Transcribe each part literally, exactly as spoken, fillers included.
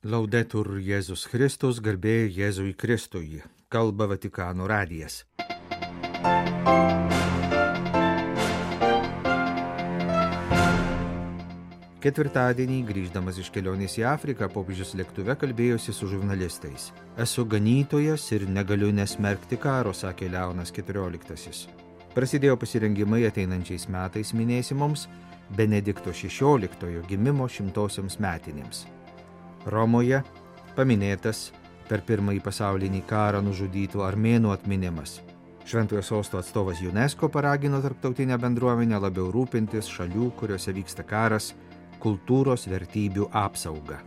Laudetur Jėzus Kristus, garbė Jėzui Kristui, kalba Vatikano radijas. Ketvirtadienį, grįždamas iš kelionės į Afriką, popiežius lėktuve kalbėjosi su žurnalistais. Esu ganytojas ir negaliu nesmerkti karo, sakė Leonas keturioliktasis. Prasidėjo pasirengimai ateinančiais metais minėsimoms Benedikto šešioliktojo gimimo šimtosioms metinėms. Romoje paminėtas per pirmąjį pasaulinį karą nužudytų armėnų atminimas. Šventojo sosto atstovas UNESCO paragino tarptautinę bendruomenę labiau rūpintis šalių, kuriuose vyksta karas, kultūros vertybių apsauga.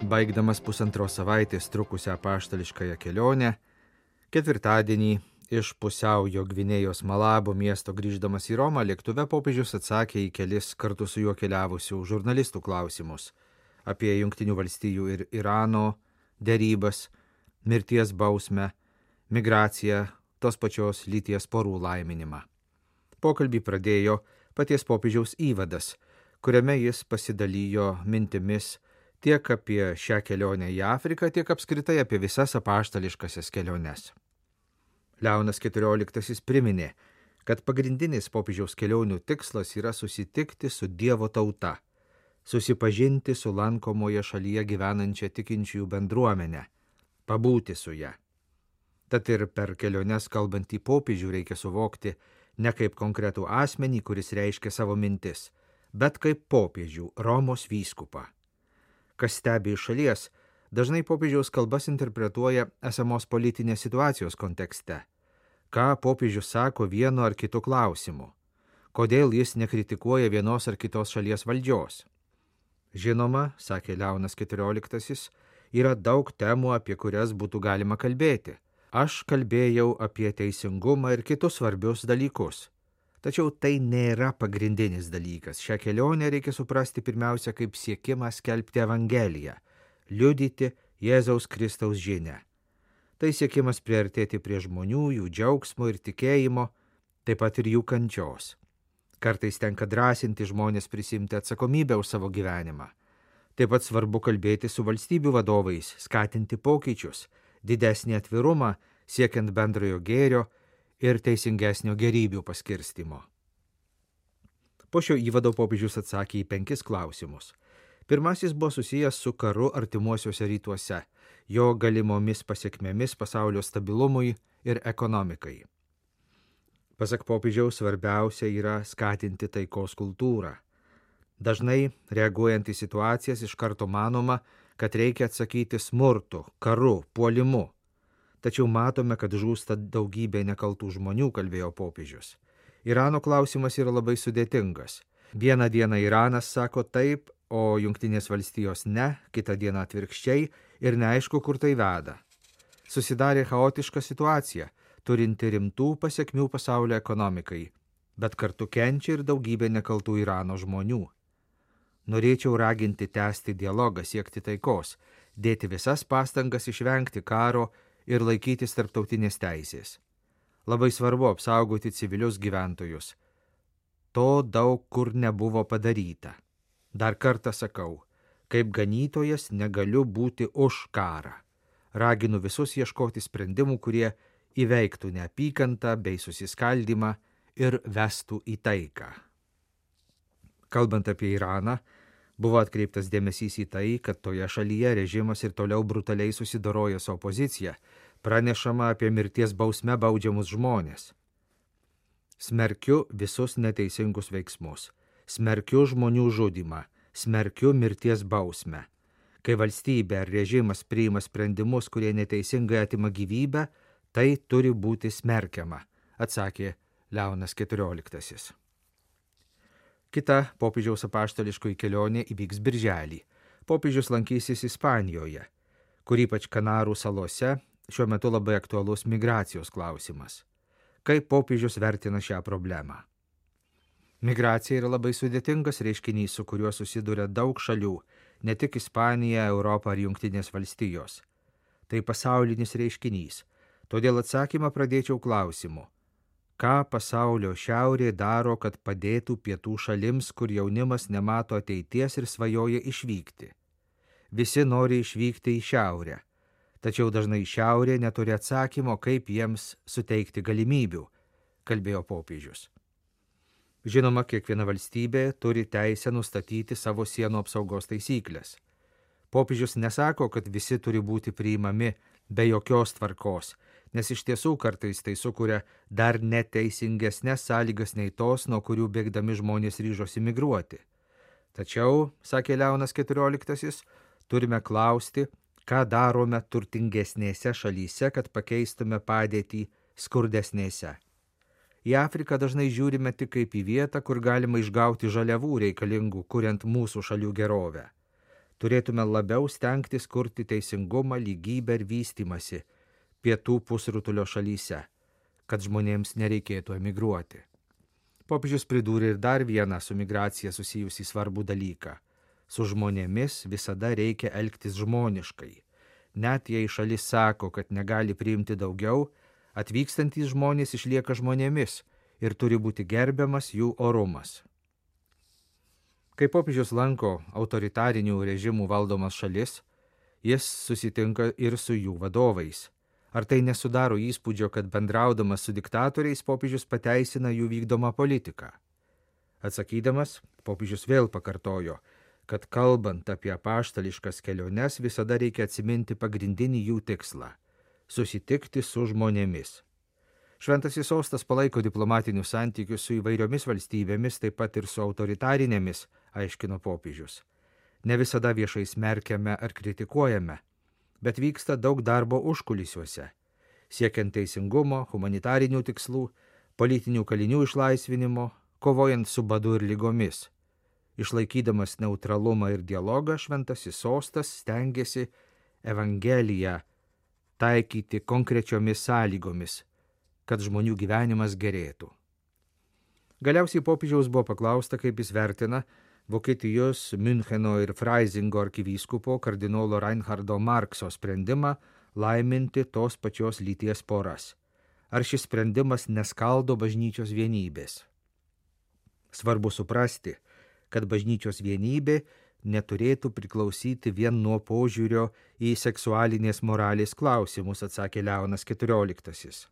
Baigdamas pusantros savaitės trukusią apaštališkąją kelionę, ketvirtadienį iš pusiaujo Gvinėjos Malabo miesto grįždamas į Romą, lėktuve popiežius atsakė į kelis kartu su juo keliavusių žurnalistų klausimus apie Jungtinių valstijų ir Irano derybas, mirties bausmę, migraciją, tos pačios lyties porų laiminimą. Pokalbį pradėjo paties popiežiaus įvadas, kuriame jis pasidalijo mintimis tiek apie šią kelionę į Afriką, tiek apskritai apie visas apaštališkasias keliones. Leonas keturioliktasis priminė, kad pagrindinis popiežiaus kelionių tikslas yra susitikti su Dievo tauta, susipažinti su lankomoje šalyje gyvenančia tikinčiųjų bendruomenė, pabūti su ja. Tad ir per keliones kalbantį popiežių reikia suvokti ne kaip konkretų asmenį, kuris reiškia savo mintis, bet kaip popiežių, Romos vyskupą. Kas stebi iš šalies, dažnai popiežiaus kalbas interpretuoja esamos politinės situacijos kontekste. Ką popiežius sako vienu ar kitu klausimu? Kodėl jis nekritikuoja vienos ar kitos šalies valdžios? Žinoma, sakė Leonas keturioliktasis, yra daug temų, apie kurias būtų galima kalbėti. Aš kalbėjau apie teisingumą ir kitus svarbius dalykus. Tačiau tai nėra pagrindinis dalykas. Šią kelionę reikia suprasti pirmiausia kaip siekimą skelbti Evangeliją, liudyti Jėzaus Kristaus žinią. Tai siekimas priartėti prie žmonių, jų džiaugsmo ir tikėjimo, taip pat ir jų kančios. Kartais tenka drąsinti žmonės prisimti atsakomybę už savo gyvenimą. Taip pat svarbu kalbėti su valstybių vadovais, skatinti pokyčius, didesnį atvirumą, siekiant bendrojo gėrio ir teisingesnio gerybių paskirstimo. Po šio įvado popiežius atsakė į penkis klausimus. Pirmasis buvo susijęs su karu artimuosiuose rytuose, jo galimomis pasiekmėmis pasaulio stabilumui ir ekonomikai. Pasak popiežiaus, svarbiausia yra skatinti taikos kultūrą. Dažnai, reaguojant į situacijas, iš karto manoma, kad reikia atsakyti smurtu, karu, puolimu. Tačiau matome, kad žūsta daugybė nekaltų žmonių, kalbėjo popiežius. Irano klausimas yra labai sudėtingas. Vieną dieną Iranas sako taip, o Jungtinės valstijos ne, kitą dieną atvirkščiai ir neaišku, kur tai veda. Susidarė chaotiška situacija, turinti rimtų pasiekmių pasaulio ekonomikai, bet kartu kenčia ir daugybė nekaltų Irano žmonių. Norėčiau raginti tęsti dialogą, siekti taikos, dėti visas pastangas išvengti karo ir laikytis tarptautinės teisės. Labai svarbu apsaugoti civilius gyventojus. To daug kur nebuvo padaryta. Dar kartą sakau, kaip ganytojas negaliu būti už karą. Raginu visus ieškoti sprendimų, kurie įveiktų neapykantą bei susiskaldymą ir vestų į taiką. Kalbant apie Iraną, buvo atkreiptas dėmesys į tai, kad toje šalyje režimas ir toliau brutaliai susidoroja su opozicija, pranešama apie mirties bausme baudžiamus žmonės. Smerkiu visus neteisingus veiksmus. Smerkiu žmonių žudymą, smerkiu mirties bausmę. Kai valstybė ar režimas priima sprendimus, kurie neteisingai atima gyvybę, tai turi būti smerkiama, atsakė Leonas keturioliktasis. Kita popiežiaus apaštališkoji kelionė įvyks birželį. Popiežius lankysis Ispanijoje, kur ypač Kanarų salose šiuo metu labai aktualus migracijos klausimas. Kaip popiežius vertina šią problemą? Migracija yra labai sudėtingas reiškinys, su kuriuo susiduria daug šalių, ne tik Ispanija, Europa ar Jungtinės valstijos. Tai pasaulinis reiškinys, todėl atsakymą pradėčiau klausimu. ką pasaulio šiaurė daro, kad padėtų pietų šalims, kur jaunimas nemato ateities ir svajoja išvykti. Visi nori išvykti į šiaurę, tačiau dažnai šiaurė neturi atsakymo, kaip jiems suteikti galimybių, kalbėjo popiežius. Žinoma, kiekviena valstybė turi teisę nustatyti savo sienų apsaugos taisyklės. Popiežius nesako, kad visi turi būti priimami be jokios tvarkos, nes iš tiesų kartais tai sukuria dar neteisingesnės sąlygas nei tos, nuo kurių bėgdami žmonės ryžosi migruoti. Tačiau, sakė Leonas keturioliktasis, turime klausti, ką darome turtingesnėse šalyse, kad pakeistume padėtį skurdesnėse. Į Afriką dažnai žiūrime tik kaip į vietą, kur galima išgauti žaliavų reikalingų, kuriant mūsų šalių gerovę. Turėtume labiau stengtis kurti teisingumą, lygybę ir vystymasi pietų pusrutulio šalyse, kad žmonėms nereikėtų emigruoti. Popiežius pridūrė ir dar vieną su migracija susijusį svarbų dalyką. Su žmonėmis visada reikia elgtis žmoniškai. Net jei šalis sako, kad negali priimti daugiau, atvykstantys žmonės išlieka žmonėmis ir turi būti gerbiamas jų orumas. Kai popiežius lanko autoritarinių režimų valdomas šalis, jis susitinka ir su jų vadovais. Ar tai nesudaro įspūdžio, kad bendraudamas su diktatoriais popiežius pateisina jų vykdomą politiką? Atsakydamas, popiežius vėl pakartojo, kad kalbant apie apaštališkas keliones visada reikia atsiminti pagrindinį jų tikslą – susitikti su žmonėmis. Šventasis sostas palaiko diplomatinius santykius su įvairiomis valstybėmis, taip pat ir su autoritarinėmis, aiškino popiežius. Ne visada viešai smerkiame ar kritikuojame, bet vyksta daug darbo užkulisiuose, siekiant teisingumo, humanitarinių tikslų, politinių kalinių išlaisvinimo, kovojant su badu ir lygomis. Išlaikydamas neutralumą ir dialogą, šventasis sostas stengiasi Evangeliją taikyti konkrečiomis sąlygomis, kad žmonių gyvenimas gerėtų. Galiausiai popiežiaus buvo paklausta, kaip jis vertina Vokietijos Müncheno ir Freisingo arkivyskupo kardinolo Reinhardo Markso sprendimą laiminti tos pačios lyties poras. Ar šis sprendimas neskaldo bažnyčios vienybės? Svarbu suprasti, kad bažnyčios vienybė neturėtų priklausyti vien nuo požiūrio į seksualinės moralės klausimus, atsakė Leonas keturioliktasis.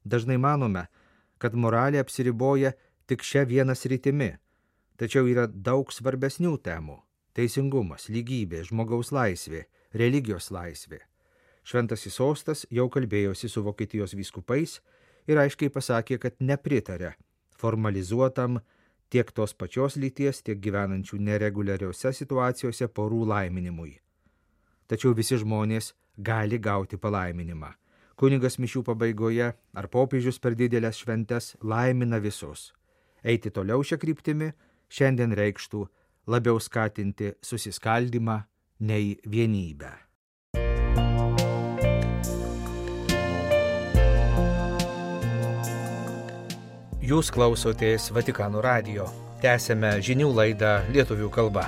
Dažnai manome, kad moralė apsiriboja tik šia viena sritimi, tačiau yra daug svarbesnių temų – teisingumas, lygybė, žmogaus laisvė, religijos laisvė. Šventasis sostas jau kalbėjosi su Vokietijos vyskupais ir aiškiai pasakė, kad nepritarė formalizuotam tiek tos pačios lyties, tiek gyvenančių nereguliariose situacijose porų laiminimui. Tačiau visi žmonės gali gauti palaiminimą. Kunigas mišių pabaigoje ar popiežius per didelės šventes laimina visus. Eiti toliau šią kryptimį šiandien reikštų labiau skatinti susiskaldymą nei vienybę. Jūs klausotės Vatikano radijo. Tęsiame žinių laidą lietuvių kalba.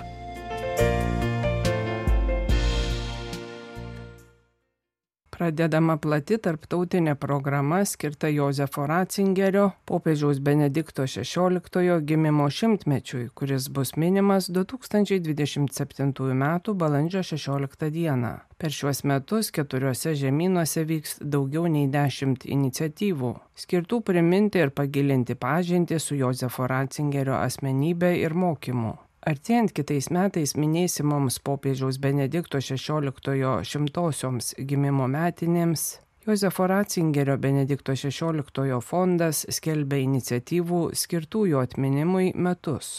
Pradedama plati tarptautinė programa skirta Jozefo Ratzingerio, popiežiaus Benedikto šešioliktojo gimimo šimtmečiui, kuris bus minimas du tūkstančiai dvidešimt septintųjų metų balandžio šešioliktą dieną. Per šiuos metus keturiuose žemynuose vyks daugiau nei dešimt iniciatyvų, skirtų priminti ir pagilinti pažintį su Jozefo Ratzingerio asmenybe ir mokymu. Artėjant kitais metais minėsimoms popiežiaus Benedikto šešioliktojo šimtosioms gimimo metinėms, Jozefo Ratzingerio Benedikto šešioliktojo fondas skelbia iniciatyvų skirtų jo atminimui metus.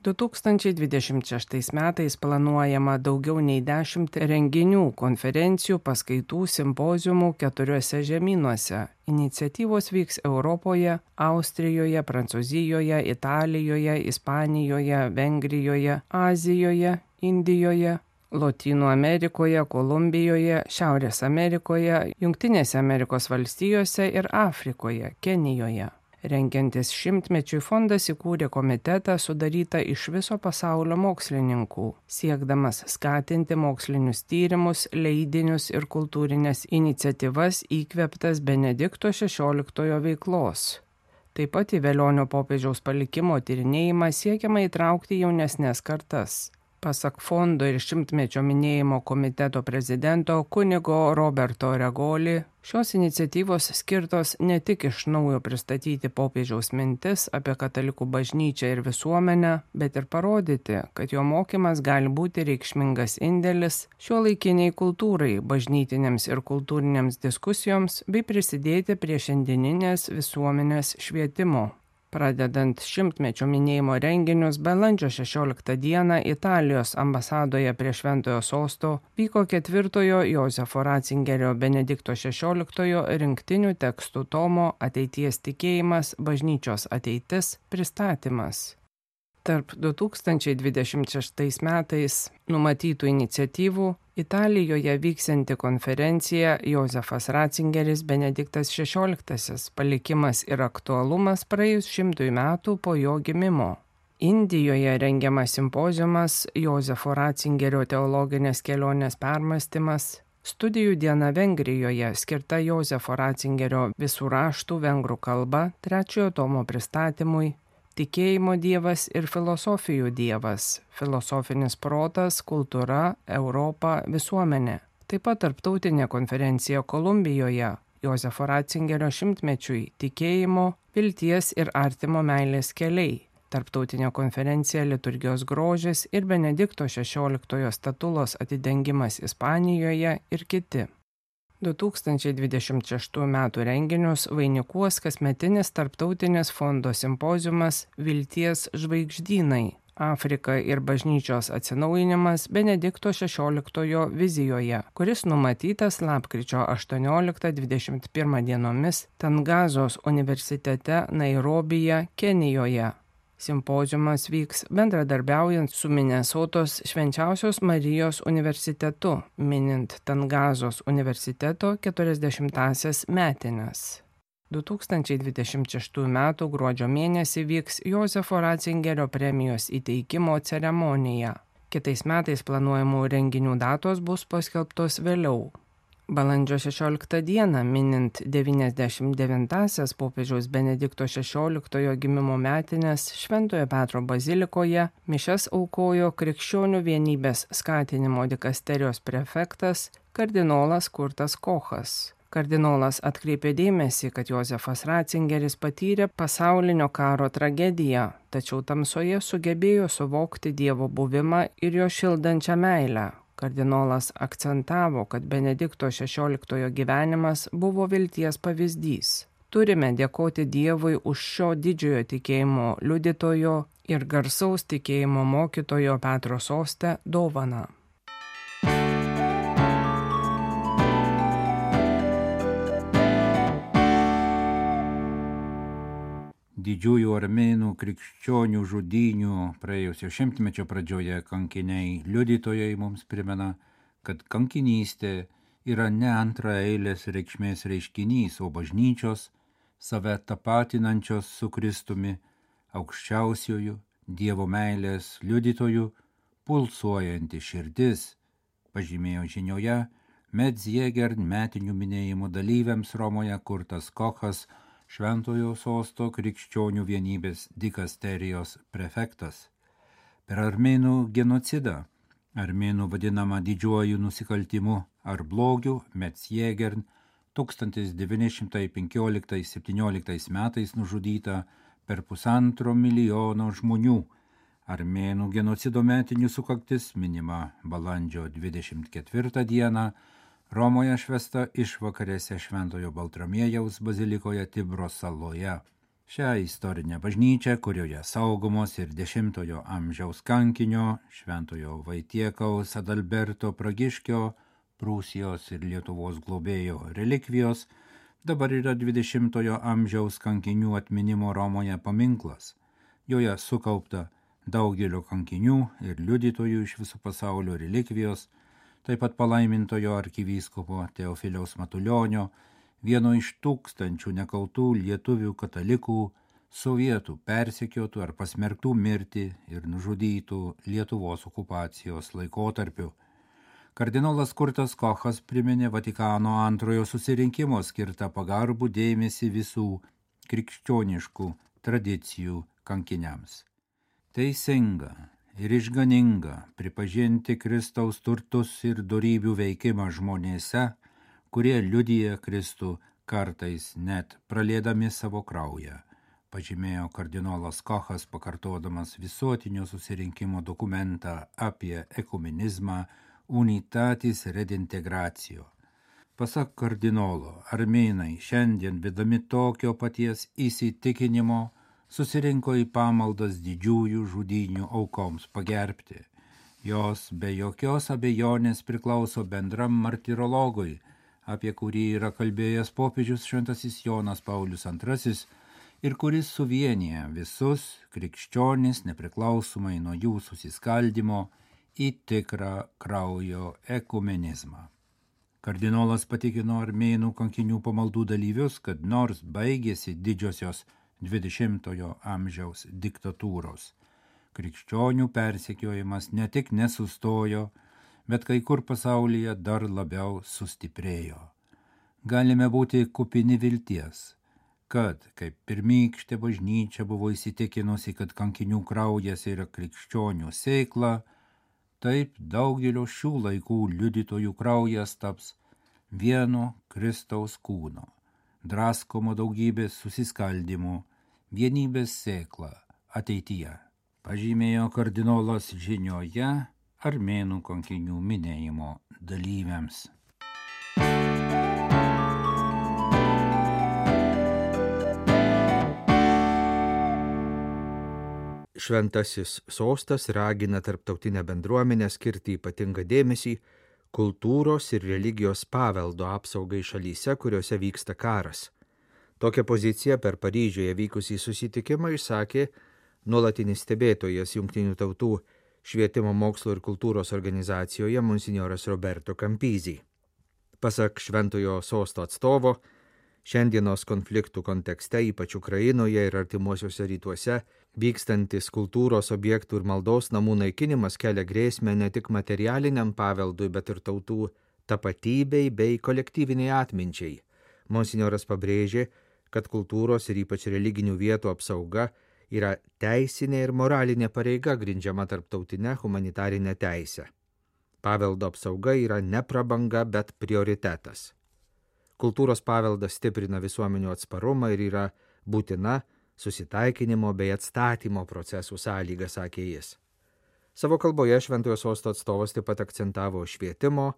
du tūkstančiai dvidešimt šeštais metais planuojama daugiau nei dešimt renginių, konferencijų, paskaitų, simpoziumų keturiuose žemynuose. Iniciatyvos vyks Europoje, Austrijoje, Prancūzijoje, Italijoje, Ispanijoje, Vengrijoje, Azijoje, Indijoje, Lotynų Amerikoje, Kolumbijoje, Šiaurės Amerikoje, Jungtinėse Amerikos valstijose ir Afrikoje, Kenijoje. Rengiantis šimtmečiui fondas įkūrė komitetą sudarytą iš viso pasaulio mokslininkų, siekdamas skatinti mokslinius tyrimus, leidinius ir kultūrinės iniciatyvas įkvėptas Benedikto šešioliktojo veiklos. Taip pat į Velionio popiežiaus palikimo tyrinėjimą siekiama įtraukti jaunesnės kartas. Pasak fondo ir šimtmečio minėjimo komiteto prezidento kunigo Roberto Regoli, šios iniciatyvos skirtos ne tik iš naujo pristatyti popiežiaus mintis apie katalikų bažnyčią ir visuomenę, bet ir parodyti, kad jo mokymas gali būti reikšmingas indėlis šiuolaikiniai kultūrai, bažnytinėms ir kultūrinėms diskusijoms bei prisidėti prie šiandieninės visuomenės švietimo. Pradedant šimtmečio minėjimo renginius, balandžio šešioliktą dieną Italijos ambasadoje prie Šventojo Sosto vyko ketvirtojo Jozefo Ratzingerio Benedikto šešioliktojo rinktinių tekstų tomo Ateities tikėjimas, bažnyčios ateitis pristatymas. Tarp du tūkstančiai dvidešimt šeštais metais numatytų iniciatyvų Italijoje vyksianti konferencija Jozefas Ratzingeris Benediktas šešioliktasis palikimas ir aktualumas praėjus šimtui metų po jo gimimo. Indijoje rengiamas simpoziumas Jozefo Ratzingerio teologinės kelionės permąstymas, studijų diena Vengrijoje skirta Jozefo Ratzingerio visų raštų vengrų kalba trečiojo tomo pristatymui, Tikėjimo dievas ir filosofijų dievas, filosofinis protas, kultūra, Europa, visuomenė. Taip pat tarptautinė konferencija Kolumbijoje, Jozefo Ratzingerio šimtmečiui, tikėjimo, vilties ir artimo meilės keliai. Tarptautinė konferencija Liturgijos grožis ir Benedikto šešioliktojo statulos atidengimas Ispanijoje ir kiti. du tūkstančiai dvidešimt šeštų metų renginius vainikuos kasmetinis tarptautinis fondo simpoziumas Vilties žvaigždynai – Afrika ir bažnyčios atsinaujinimas Benedikto šešioliktojo vizijoje, kuris numatytas lapkričio aštuonioliktą dvidešimt pirmą dienomis Tangazos universitete Nairobije, Kenijoje. Simpoziumas vyks bendradarbiaujant su Minesotos Švenčiausios Marijos universitetu, minint Tangazos universiteto keturiasdešimtąsias metines. du tūkstančiai dvidešimt šeštų metų gruodžio mėnesį vyks Jozefo Ratzingerio premijos įteikimo ceremonija. Kitais metais planuojamų renginių datos bus paskelbtos vėliau. Balandžio šešioliktą dieną, minint devyniasdešimt devintąsias popiežiaus Benedikto šešioliktojo gimimo metines Šventojo Petro bazilikoje, mišias aukojo Krikščionių vienybės skatinimo dikasterijos prefektas kardinolas Kurtas Kochas. Kardinolas atkreipė dėmesį, kad Jozefas Ratzingeris patyrė pasaulinio karo tragediją, tačiau tamsoje sugebėjo suvokti Dievo buvimą ir jo šildančią meilę. Kardinolas akcentavo, kad Benedikto šešioliktojo gyvenimas buvo vilties pavyzdys. Turime dėkoti Dievui už šio didžiojo tikėjimo liudytojo ir garsaus tikėjimo mokytojo Petro soste dovaną. Didžiųjų armėnų krikščionių žudynių praėjusio šimtmečio pradžioje kankiniai liudytojai mums primena, kad kankinystė yra ne antraeilės reikšmės reiškinys, o bažnyčios, save tapatinančios su Kristumi, aukščiausiųjų Dievo meilės liudytojų, pulsuojanti širdis, pažymėjo žinioje Medzjėger metinių minėjimų dalyviams Romoje Kurtas Kochas, Šventojo Sosto krikščionių vienybės dikasterijos prefektas. Per armėnų genocidą, armėnų vadinamą didžiuoju nusikaltimu ar blogiu, Medzjėgern tūkstantis devyni šimtai penkioliktais septynioliktais metais nužudyta per pusantro milijono žmonių. Armėnų genocido metinių sukaktis minima balandžio dvidešimt ketvirtą dieną, Romoje švęsta išvakarėse Šventojo Baltramiejaus bazilikoje Tibro saloje. Šią istorinę bažnyčią, kurioje saugomos ir dešimtojo amžiaus kankinio Šventojo Vaitiekaus Adalberto Pragiškio, Prūsijos ir Lietuvos globėjo relikvijos, dabar yra dvidešimtojo amžiaus kankinių atminimo Romoje paminklas. Joje sukaupta daugelio kankinių ir liudytojų iš viso pasaulio relikvijos, taip pat palaimintojo arkivyskupo Teofiliaus Matulionio, vieno iš tūkstančių nekaltų lietuvių katalikų, sovietų persekiotų ar pasmerktų mirti ir nužudytų Lietuvos okupacijos laikotarpiu. Kardinolas Kurtas Kochas priminė Vatikano antrojo susirinkimo skirtą pagarbų dėmesį visų krikščioniškų tradicijų kankiniams. Teisinga ir išganinga pripažinti Kristaus turtus ir dorybių veikimą žmonėse, kurie liudija Kristų kartais net praliedami savo kraują, pažymėjo kardinolas Kochas, pakartodamas visuotinio susirinkimo dokumentą apie ekumenizmą Unitatis Redintegratio. Pasak kardinolo, armėnai šiandien vedami tokio paties įsitikinimo susirinko į pamaldas didžiųjų žudynių aukoms pagerbti. Jos be jokios abejonės priklauso bendram martirologui, apie kurį yra kalbėjęs popiežius šventasis Jonas Paulius antrasis ir kuris suvienyje visus krikščionis nepriklausomai nuo jų susiskaldimo į tikrą kraujo ekumenizmą. Kardinolas patikino armėnų kankinių pamaldų dalyvius, kad nors baigėsi didžiosios dvidešimtojo amžiaus diktatūros, krikščionių persekiojimas ne tik nesustojo, bet kai kur pasaulyje dar labiau sustiprėjo. Galime būti kupini vilties, kad, kaip pirmykštė bažnyčia buvo įsitikinusi, kad kankinių kraujas yra krikščionių sėkla, taip daugelio šių laikų liudytojų kraujas taps vieno Kristaus kūno, draskomo daugybės susiskaldimų, vienybės sėkla ateityje, pažymėjo kardinolas žinioje armėnų kankinių minėjimo dalyviams. Šventasis sostas ragina tarptautinę bendruomenę skirti ypatingą dėmesį kultūros ir religijos paveldo apsaugai šalyse, kuriuose vyksta karas. Tokią poziciją per Paryžiuje vykusį susitikimą išsakė nuolatinis stebėtojas Jungtinių tautų švietimo, mokslo ir kultūros organizacijoje monsinjoras Roberto Campisi. Pasak Šventojo sosto atstovo, šiandienos konfliktų kontekste, ypač Ukrainoje ir artimuosiuose rytuose, vykstantis kultūros objektų ir maldos namų naikinimas kelia grėsmę ne tik materialiniam paveldui, bet ir tautų tapatybei bei kolektyviniai atminčiai. Monsinjoras pabrėžė, kad kultūros ir ypač religinių vietų apsauga yra teisinė ir moralinė pareiga grindžiama tarptautinė humanitarinė teisė. Paveldo apsauga yra ne prabanga, bet prioritetas. Kultūros paveldas stiprina visuomenių atsparumą ir yra būtina susitaikinimo bei atstatymo procesų sąlyga, sakė jis. Savo kalboje Šventojo sosto atstovas taip pat akcentavo švietimo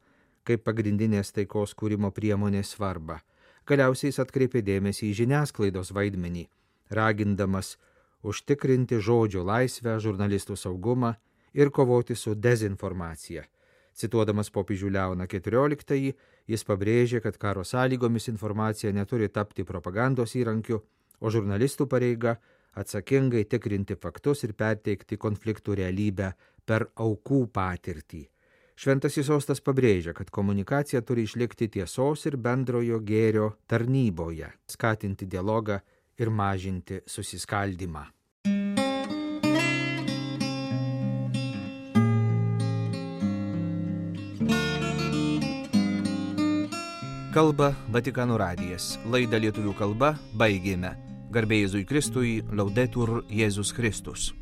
kaip pagrindinės taikos kūrimo priemonės svarbą. Galiausiai jis atkreipė dėmesį į žiniasklaidos vaidmenį, ragindamas užtikrinti žodžio laisvę, žurnalistų saugumą ir kovoti su dezinformacija. Cituodamas popiežių Leoną keturioliktąjį, jis pabrėžė, kad karo sąlygomis informacija neturi tapti propagandos įrankiu, o žurnalistų pareiga atsakingai tikrinti faktus ir perteikti konfliktų realybę per aukų patirtį. Šventasis sostas pabrėžia, kad komunikacija turi išlikti tiesos ir bendrojo gėrio tarnyboje, skatinti dialogą ir mažinti susiskaldymą. Kalba Vatikano radijas. Laidą lietuvių kalba baigėme. Garbė Jėzui Kristui, Laudetur Jėzus Kristus.